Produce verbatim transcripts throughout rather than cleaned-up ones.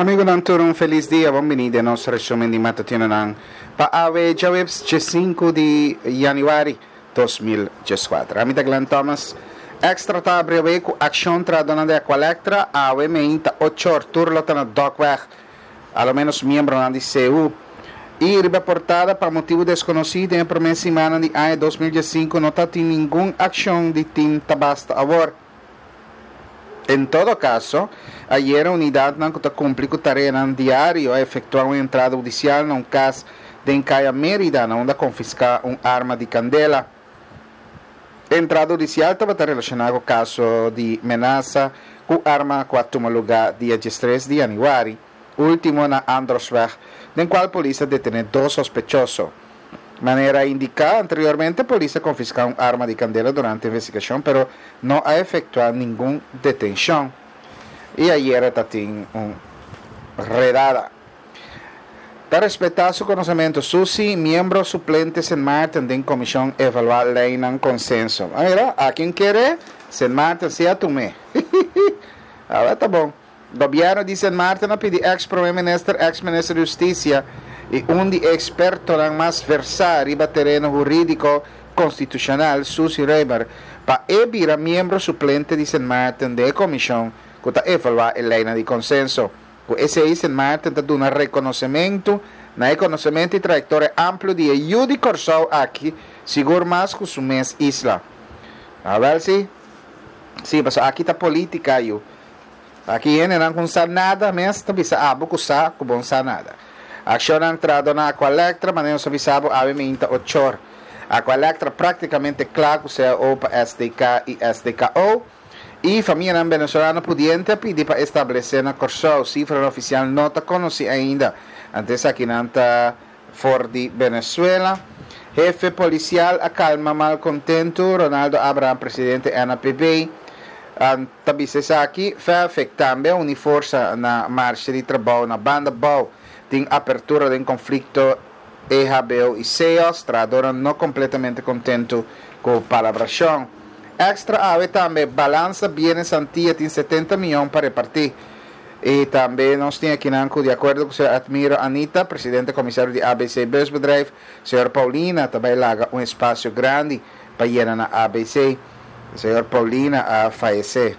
Amigonan tur, un felis dia. Bon bini den nos resumen di matutinonan pa awe djaweps sinku di januari dos mil dieskuater. Ami ta Glenn Thomas. Extra ta habri awe ku akshon trahadónan di Aqualectra. Awe meinta ocho or tur lo ta na Dokweg, a lo menos miembronan di C U. I riba portada, pa motibu deskonosí, den promé siman di aña dos mil diesinku no tabatin ningun akshon di Team Ta Basta Awor. En todo kaso, ayera unidatnan ku ta kumpli ku tareanan diario a efektuá un entrada hudisial na un kas den Kaya Mérida, na unda a konfiská un arma di kandela. Entrada hudisial tabata relashoná ku kaso di menasa ku arma ku a tuma lugá dia diestres di januari último na Androsweg, den kual polis a detené dos sospechoso. Manera indiká anteriormente, polis a konfiská un arma di kandela durante investigashon, pero no a efektuá ningun detenshon. I ayera tabatin un redada. Pa respetá su konosementu, Susi, miembro suplente Sint Maarten den komishon evaluá leinan konsenso. Ah, mira, a ken kere, Sint Maarten si a tum'é. Ah, ta bon. Gobièrnu di Sint Maarten a pidi ex-promé minister, ex-minister di Hustisia i un di ekspertonan mas versá riba tereno hurídiko konstitushonal, Susi Römer, pa e bira miembro suplente di Sint Maarten den komishon ku ta evaluá e leinan di konsenso. Ku esei Sint Maarten ta duna rekonosementu na e konosementu i trayektoria amplio di e yu di Kòrsou aki, sigur mas ku su mes isla. A wer si. Si, paso aki ta polítika yu. Aki hendenan ku no sa nada mes ta bisa abo ku sa ku bo no sa nada. Akshonnan trahadó na Aqualectra, manera nos a bisa bo, awe meinta ochor. Aqualectra práktikamente kla ku C A O pa S D K i S D K O. I famianan venezolano pudiente a pidi pa establesé na Kòrsou. Sifra ofisial no ta konosí ainda. Antes aki nan ta for di Venezuela. Hefe polisial a kalma malkontentu. Ronaldo Abraham, presidente N A P B. Ta bisa aki, F E F E C tambe a uni forsa na marshe di trabou na Banda Bou. Tin apertura di konflikto E H B O i C E O S, trahadó no kompletamente kontentu ku palabrashon. Extra awe tambe, balansa bienes Antia tin setenta mion pa repartí. I tambe nos tin aki di akuerdo ku señor Admiro Anita, presidente komisario di A B C Busbedrijf, señor Paulina tambe a laga un espasio grandi pa yena na A B C. Señor Paulina a fayesé.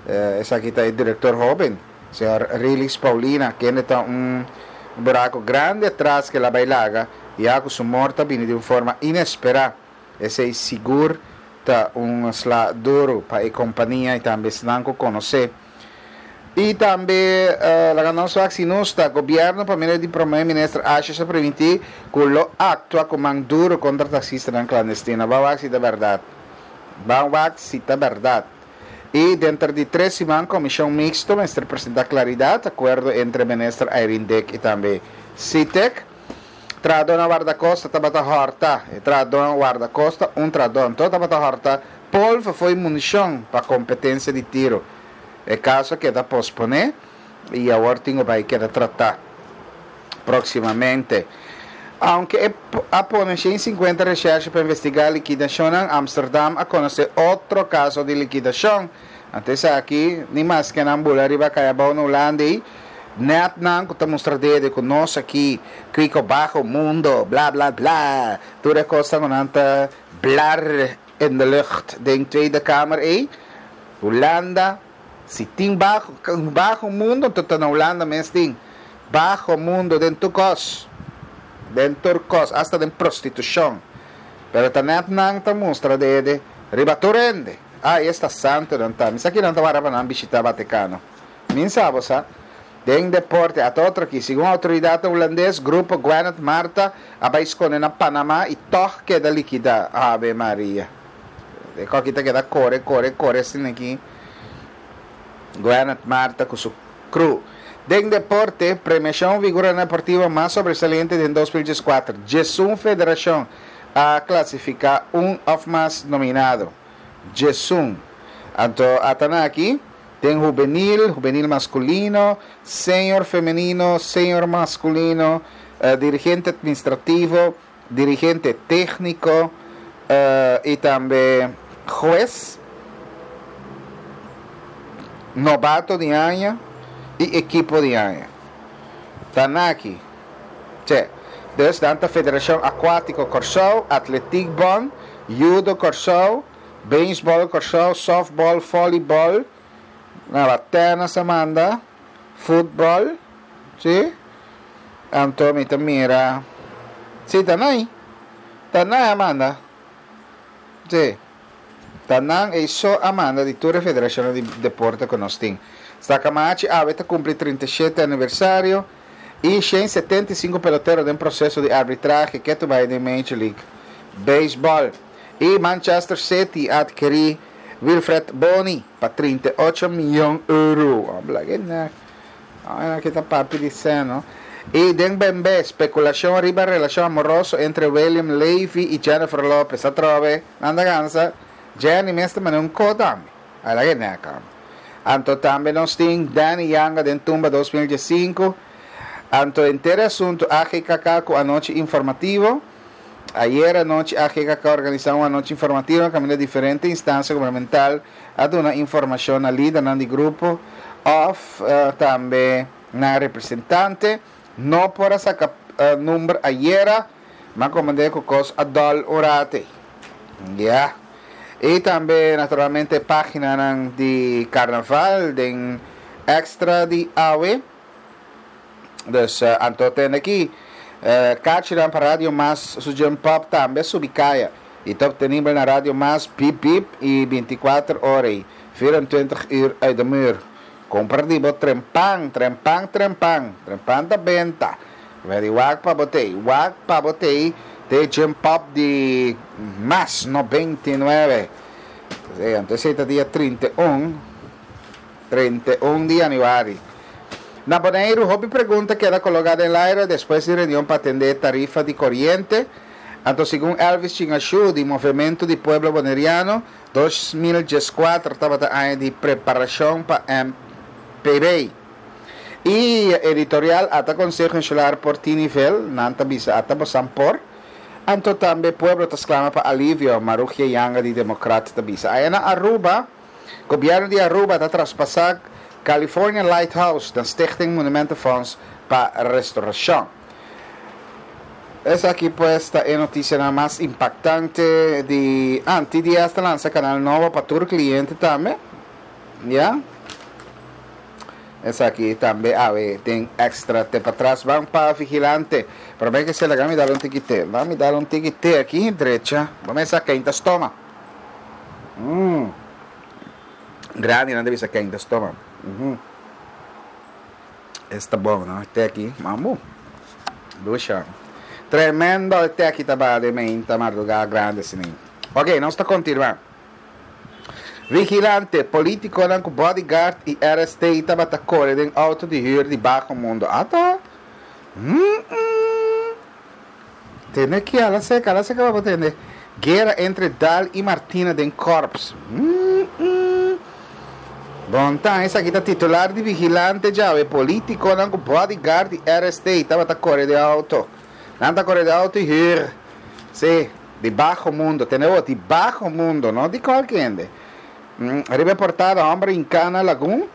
Uh, esaki ta e direktor hóben, señor Rilis Paulina, ku ta un buraku grandi atras ku el a bai laga, ya ku su morto a bini di un forma inesperá. Esei sigur ta un sla duru pa e kompania i tambe esnan ku konosé. I tambe uh, laga nos wak si nos ta gobièrnu pa medio di promé minister Asjes a primintí ku lo aktua ku man duru kontra taksistanan klandestino. Ban wak si ta berdat. Ban wak si ta berdat. I denter di tres siman komishon miksto mester presentá klaridat, akuerdo entre minister Irene Dick i tambe SITEC. Trahadó na Wardakosta tabata hòrta. E trahadó na Wardakosta, un trahadó anto tabata hòrta polvo fo'i munishon pa kompetensia di tiro. E kaso a keda posponé i awor tin ku bai keda tratá próksimamente. Aunke a pone shen sinkuenta recherche pa investigá likidashon, Amsterdam a konosé otro kaso di likidashon. Antes aki, ni mas ku nan bula riba kaya bou na Hulanda, net nan ku ta mustra dede ku nos aki, kiko bajo mundo, bla bla bla. Tur e kos ku nan ta blar in de lucht den Tweede Kamer ei. Hulanda, si tin bajo, bajo mundo, ta na Hulanda mes tin. Bajo mundo den tur kos. Den tur kos, hasta den prostitushon. Pero ta net nan ta mustra dede riba tur hende. Ah, esta santu nan ta. Mi sa ki nan ta wara pa nan bishitá Vatikano. Mi sa, sa. Den deporte, ata otro aki, segun outoridat hulandes, grupo Gweneth Martha a bai skonde na Panamá i toch keda likidá. Ave Maria. E aki ta keda kore, kore, kore asina aki. Gweneth Martha ku su crew. Den deporte, premiashon figura deportivo mas sobresaliente di dos mil dieskuater. Diesun federashon a klasifiká un òf mas nominado. Diesun. Anto, ata nan aki, tin hubenil, hubenil maskulino, senior femenino, senior maskulino, uh, dirigente administrativo, dirigente tékniko uh, i tambe hues, nobato di aña i ekipo di aña. Tanaki. Che. Dus dan ta Federashon Akuátiko Kòrsou, Atletiek Bond, Judo Kòrsou, Baseball Kòrsou, Softball, Volleyball, na tennis a manda, futbòl, si? Anto mi ta mira. Si, ta nan. Ta nan a manda. Si. Ta nan e so a manda di tur federashon di deporte ku nos tin. Stakamachi awe ta kumpli trinta i shete aniversario i shen setenta i sinku pelotero den proseso di arbitrahe ku ta di Major League Baseball. I Manchester City a atkirí Wilfred Bony pa trinta i ocho mion euro. Habla ku aki ta papi di seno. I den B N B, spekulashon riba relashon amoroso entre William Levy i Jennifer Lopez. Atrobe, anda gansa. Jenny mes tambe un kodam. Ala ku neka. Anto tambe nos tin Danny Yanga den tumba dos mil diesinku. Anto henter asuntu A G K K ku anochi informativo. Ayera anochi A G K K a organisá un anochi informativo kaminda diferente instansia gubernamental a duna informashon na lider di grupo òf uh, tambe na representante. No por a saka uh, number ayera, mas komo ku kos a dòl un ratu. Yeah. I tambe, naturalmente, página di karnaval, di Extra di awe. Dus, uh, anto tin aki, uh, karchi pa Radio Mas, su Jump Up tambe subi kaya. I ta optenibel na Radio Mas, Pip Pip i bintikuater ora, vierentwintig uur uit de muur. Kumpra di bo trempan, trempan, trempan, trempan ta benta. Very wak pa bo tei, wak pa bo tei, te Jump Up di Mas noventa i nuebe. Anto, ta dia trinta i un, trinta i un di yanüari. Na Boneiru, hopi pregunta keda koloká den aire despues di reunion pa atendé tarifa di koriente. Anto, segun Elvis Chingashu, di Movementu di Pueblo Boneriano, dos mil dieskuater tabata aña di preparashon pa M P B. I editorial ata Konseho Insular por tin nivel, nan ta bisa ata boso por. Anto tambe pueblo ta sklama pa alivio, Marugia Yanga di Demokrat ta bisa. Aya na Aruba, gobièrnu di Aruba ta traspasá California Lighthouse na Stichting Monumentenfonds pa restourashon. Esaki, pues, ta e notisia mas impaktante di ah, T D S ta lansa kanal nobo pa tur kliente tambe. Ja? Esaki tambe awe tin Extra te patras ban pa Vigilante. Pero ben ku se laga mi dal un tiki te. Ban mi dal un tiki te aki drecha. Ban sa keinta stoma. Mm. Grandi nan debe sa keinta stoma. Mm -hmm. Esta bon, no? Te aki, mambo. Dusha. Tremendo te aki ta de meinta mardugá grandi asina. Ok, nos ta kontinuá. Vigilante, polítiko ku bodyguard i R S T tabata kore den outo di hür di baho mundo. Ata? Mm -mm. Tende aki, ala seka, ala seka pa tende. Guera entre Daal i Martina den Korps. Mm -mm. Bon, ta, esaki ta titular di Vigilante djawe. Polítiko ku bodyguard i R S T tabata kore den outo. Nan ta kore den outo hür. Si, di baho mundo. Tende di baho mundo, no di kualke hende. Mm, riba portada, hòmber hinká na lagun.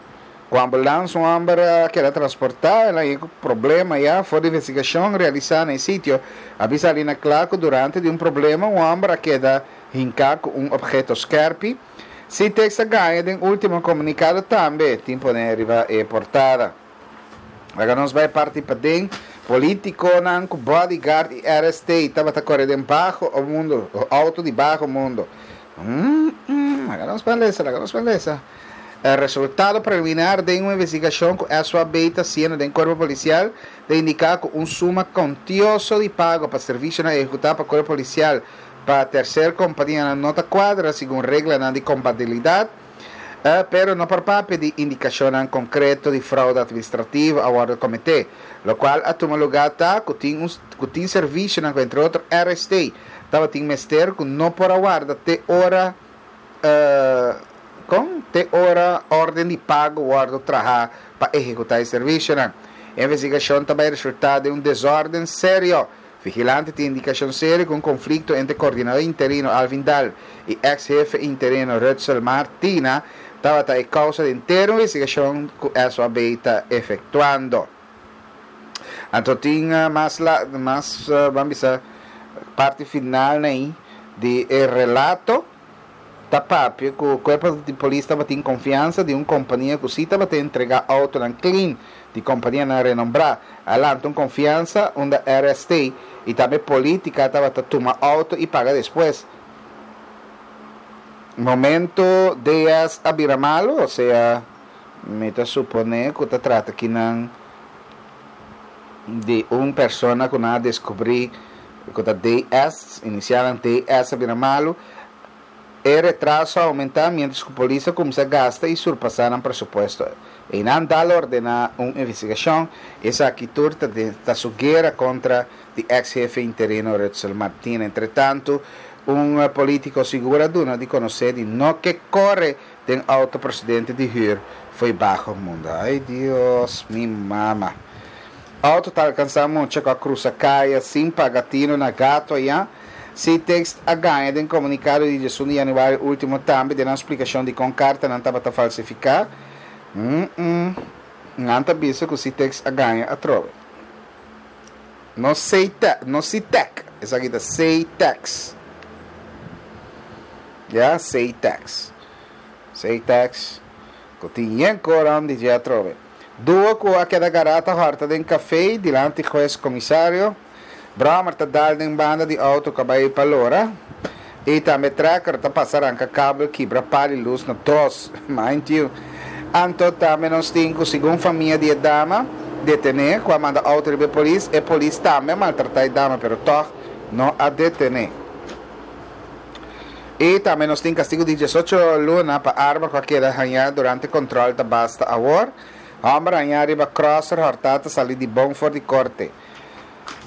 Ku ambulans, un hòmber ku a transportá, el a tin problema ya, for di investigashon realisá na sitio. A bin sali na kla durante di un problema, un hòmber a keda hinká ku un opheto skèrpi. Citex a gaña den último komunikado tambe, tin poné riba e portada. Awor nos bai parti paden, polítikonan ku bodyguard i R S T tabata kore den baho mundo, outo di baho mundo. Mm, mm, awor nos bai lesa, awor nos bai lesa. E resultado preliminar di un investigashon ku S O A B ta hasiendo den kuerpo polisial ta indiká ku un suma kuantioso di pago pa servisio ehekutá pa kuerpo polisial pa tersero kompania no ta kuadra segun regla di kontabilidat, eh, pero no por papia di indikashon konkreto di froude atministrativo a wòrdu kometé. Lokual a tuma lugá ta ku tin ku tin servisio, entre otro R S T, tabatin mester ku no por a warda te ora uh, kon te ora órden di pago wòrdu trahá pa ehekutá e servisio. Investigashon tambe a resultá den un desórden serio. Vigilante tin indikashon serio ku un konflikto entre koordinadó interino Alvin Daal i eks-hefe interino Rutsel Martina tabata e kousa di henter investigashon ku S O A B ta efektuando. Anto tin mas la, mas uh, ban bisa parti final ei di e relato ta papia ku kuerpo di polis tabatin konfiansa di un kompania ku si tabata entregá outonan clean di kompanianan renombrá. A lanta un konfiansa unda R S T i tambe polítika tabata tuma outo i paga despues. Momento D S a bira malu, osea, mi ta suponé ku ta trata akinan di un persona ku nan a deskubrí ku ta D S, inisial D S, a bira malu, e retraso a oumentá mientras ku polis a kuminsá gasta i surpasá nan presupuesto. I nan a ordená un investigashon. Esaki tur ta su guera kontra di eks-hefe interino Rutsel Martina. Entretantu, un polítiko sigur a duna di konosé di no ke kore den outo prosedente di hür for baho mundu. Ai Dios, mi mama. Outo ta alkansá mucha ku a krusa kaya sin paga tinu na Gato ya. C T E X a gaña den komunikado di diesun di yanüari último tambe den splikashon di kon kartanan tabata falsifiká. Mm -mm. Nan ta bisa ku C T E X a gaña atrobe. No C T E C, no C T E C. Esaki ta C T E X. Ya, C T E X. C T E X. Ku tin yen koran di atrobe. Duo ku a keda gará ta hòrta den kafé dilanti hues komisario. Brommer ta dal den banda di outo ku a bai pa lora. I tambe trekker ta pasa ranka kabel kibra pal'i lus na dos. Mind you. Anto tambe nos tin ku segun famia di dama detené ku a manda outo di polis e polis tambe maltratá e dama, pero toch no a detené. I tambe nos tin kastigu di diesocho luna pa arma ku a keda hañá durante kontrol ta basta awor. Hòmber hañá riba crosser hòrtá ta sali di bon for di korte.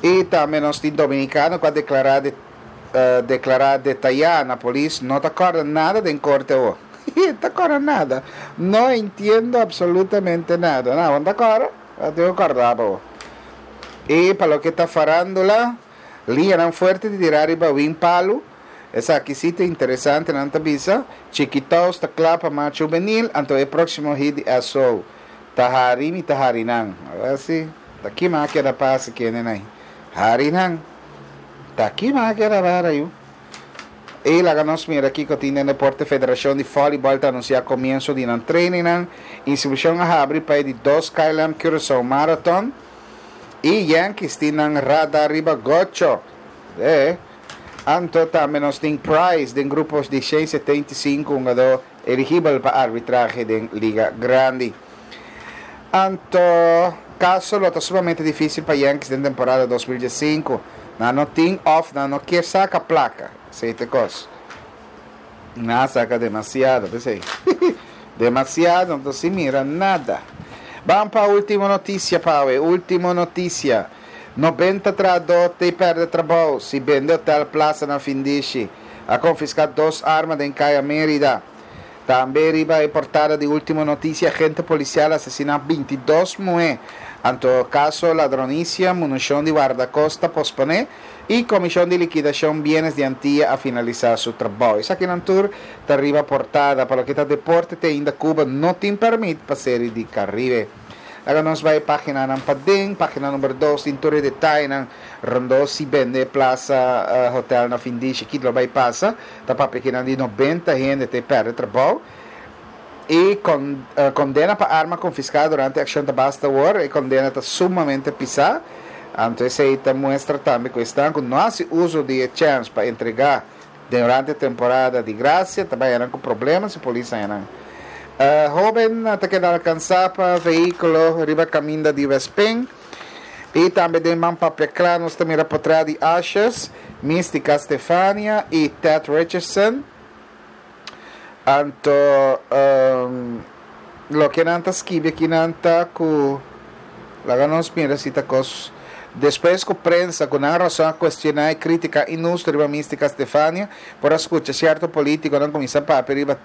I tambe nos tin dominikano ku a deklará de, uh, deklará detayá na polis no ta kòrda nada den korte o. Ta kòrda nada. No entiendo absolutamente nada. No, no ta kòrda? No ta kòrda bo. I pa loke ta farándula, liñanan fuerte di tira riba Win Palu. Esaki sí ta interesante, nan ta bisa. Chiquitos ta kla pa marcha hubenil, anto e próksimo hit di S O. Ta hari mi ta hari nan. Asina, ta ki mas keda pasa ku nei. Hari nan. Ta ki mas keda para yu. I laga nos mira aki ku tin den deporte. Federashon di Voleibol ta anunsiá komienso di nan training. Inskripshon a habri pa di dos K L M Curaçao Marathon. I Yankees tin nan radar riba Gocho. Eh. Anto tambe nos tin Price den grupo di shen setenta i sinku hungadó eligibel pa arbitrahe den Liga Grandi. Anto kaso lo ta sumamente difísil pa Yankees den temporada dos mil diesinku. Nan no tin òf nan no ke saka plaka. Esei ta kos. Nan a saka demasiado, p'esei. Demasiado, anto sin mira nada. Ban pa último notisia, Pawe. Último notisia. nobenta trahadó ta pèrdè trabou si bende Hotel Plaza na Findishi. A konfiská dos arma den Kaya Mérida. Tambe riba e portada di último notisia, agente polisial a asesiná bintidos muhé. Anto kaso ladronisia, munishon di Wardakosta posponé i Komishon di Likidashon Bienes di Antia a finalisá su trabou. Esakinan tur ta riba portada. Pa loke ta deporte, te ainda Cuba no tin pèrmit pa Seri di Karibe. Awor nos bai páginanan paden, página number dos, tin tur e detayenan rondó si bende Plaza uh, Hotel na Findishi, kiko lo bai pasa, ta papia akinan di nobenta hende ta pèrdè trabou. I kon, uh, kondena pa arma konfiská durante akshon ta basta awor, e kondena ta sumamente pisá. Anto esei ta muestra tambe ku esnan ku no hasi uso di chèns pa entregá durante temporada di grasia, tambe ku problema si polis nan. Uh, hóben ta keda alkansá pa vehíkulo riba kaminda di Wespeng. I tambe den Man Papia Kla nos ta mira portrèt di Ashes, Mística Stefania i Ted Richardson. Anto um, loke nan ta skibi akinan ta ku laga nos mira si ta kos despues ku prensa ku nan rason a kuestioná i kritiká inhustu riba Mística Stefania, por a skucha sierto polítikonan kuminsá papia riba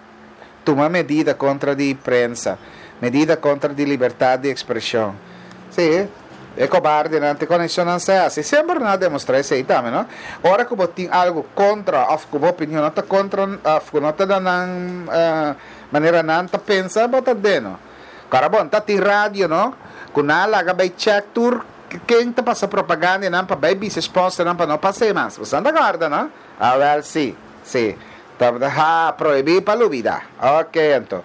tuma medida kontra di prensa, medida kontra di libertat di ekspreshon. Sí, e kobardenan te konekshon se hasi. Semper nan a demostrá esei tambe, no? Ora ku bo tin algu kontra, òf ku bo opinion no ta kontra, òf ku no ta nan uh, manera nan ta pensa, bo ta deno. Kara bon, ta tin radio, no? Ku nan laga bai check tur Ken ta pasa propaganda nan pa bai bisa sponsor nan pa no pasa mas. Bo ta korda, no? Ah, wel, si. Si. Ha, prohibí pa lubidá. Ok, anto.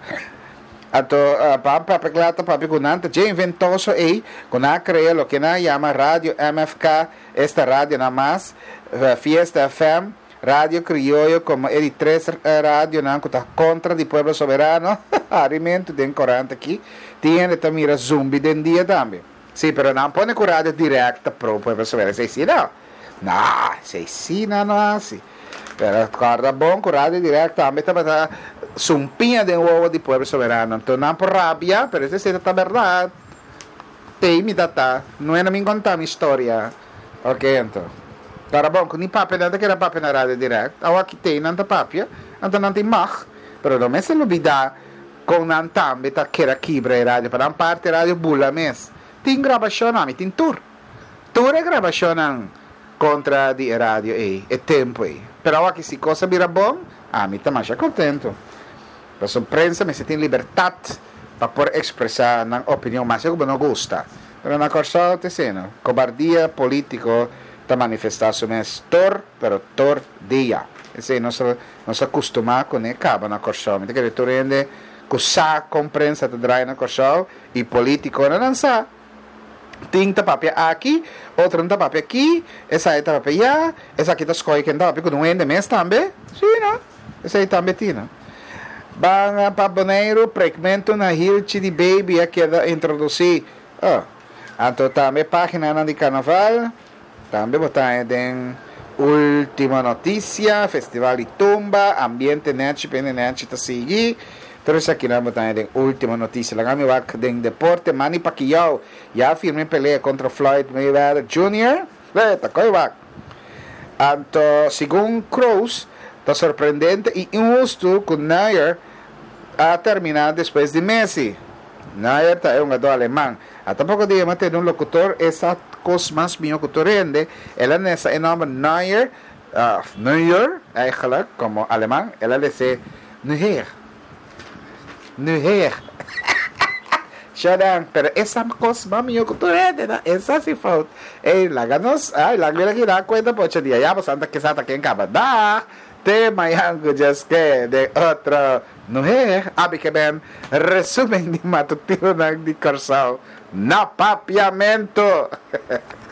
Anto, uh, pa papia kla ta papia ku nan ta dje inventoso ei, ku nan a krea loke nan yama Radio M F K, esta radio na mas, uh, Fiesta F M, Radio Krioyo komo e di tres uh, radio nan ku ta kontra di Pueblo Soberano. Alimento den korant aki. Tin ta mira zumbi den dia tambe. Si, pero nan pone ku Radio Direct pro Pueblo Soberano. Esei si no. No, esei si no no asina. Pero korda bon ku Radio Direct tambe tabata sumpiña den wowo di Pueblo Soberano. Anto nan por rabia, pero esei ta berdat. Tei mi tata, no e mi konta mi historia. Ok, anto. Para bon, ku ni papia nan ta kere papia na Radio Direct. Awa ki tei nan ta papia, anto nan tin mag, pero no mester lubidá ku nan tambe ta kere kibra e radio, pa nan parti radio bula mes. Tin grabashon, ami tin tur. Tur e grabashon kontra di radio ei, e tempu ei. Pero aki si kos a bira bon, ami ta mas kontentu. Pasobra prensa mester tin libertat pa por ekspresá nan opinion, mas ku no gusta. Pero na Kòrsou ta asina, kobardia polítiko ta manifestá su mes tur, pero tur dia. Esei nos nos a kustumá kuné kaba na Kòrsou. Mi ta kere tur hende ku sa kon prensa ta drai na Kòrsou i polítiko nan sa. Tin ta papia aki, otro ta papia aki, esei ta papia ya, esaki ta skohe ken ta papia ku un hende mes tambe. Si, no? Esei tambe tin, no? Ban pa Boneiru, prekmentu na hilchi di baby a keda introdusí. Oh. Anto tambe página di karnaval, tambe bo ta den Último Notisia, Festival di Tumba, ambiente nechi, pene nechi ta sigui. Pero esaki nan bo ta den Último Notisia. Laga mi wak den deporte, Manny Pacquiao ya firma pelea kontra Floyd Mayweather Junior Leta, koi wak. Anto, segun Kroos, ta sorprendente i inhustu ku Neuer a terminá despues di Messi. Neuer ta un hungadó aleman. Ata poko dia m'a tende un lokutor, e kos mas mihó ku tur hende, el a lesa e nòmber Neuer, uh, Neuer, eigenlijk, komo aleman, el a lesa Neuer. Neuer. Shadan, pero e kos mas mihó ku tur hende, no? Esei si fout. Ei, laga nos, ai, laga mira aki na kuenta pocho dia. Ya, santa que santa ken kaba. Dag! Te mañan ku just ke de otro Neuer. Abi ke ben resumen di matutino di Kòrsou na papiamento.